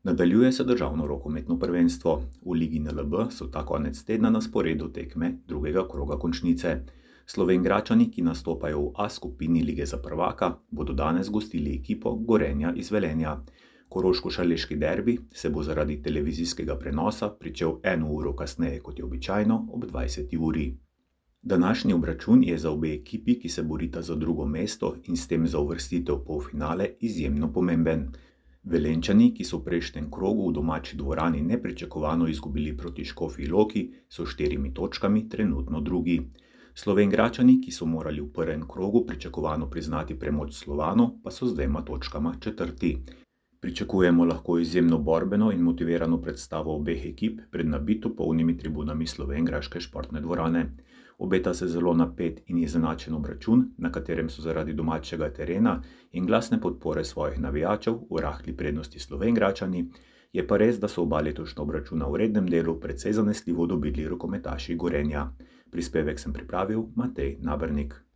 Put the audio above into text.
Nadaljuje se državno rokometno prvenstvo. V Ligi NLB so ta konec tedna na sporedu tekme drugega kroga končnice. Slovenjgračani, ki nastopajo v A skupini Lige za prvaka, bodo danes gostili ekipo Gorenja iz Velenja. Koroško-šaleški derbi se bo zaradi televizijskega prenosa pričel 1 uro kasneje kot je običajno, ob 20. uri. Današnji obračun je za obe ekipi, ki se borita za drugo mesto in s tem za uvrstitev v polfinale, izjemno pomemben. Velenjčani, ki so v prejšnjem krogu v domači dvorani nepričakovano izgubili proti Škofji Loki, so s 4 točkami trenutno drugi. Slovenjgračani, ki so morali v prvem krogu pričakovano priznati premoč Slovanu, pa so z 2 točkama četrti. Pričakujemo lahko izjemno borbeno in motivirano predstavo obeh ekip pred nabito polnimi tribunami slovenjgraške športne dvorane. Obeta se zelo napet in izenačen obračun, na katerem so zaradi domačega terena in glasne podpore svojih navijačev v rahli prednosti Slovenjgračani, je pa res, da so oba letošnja obračuna v rednem delu precej zanesljivo dobili rokometaši Gorenja. Prispevek sem pripravil Matej Nabernik.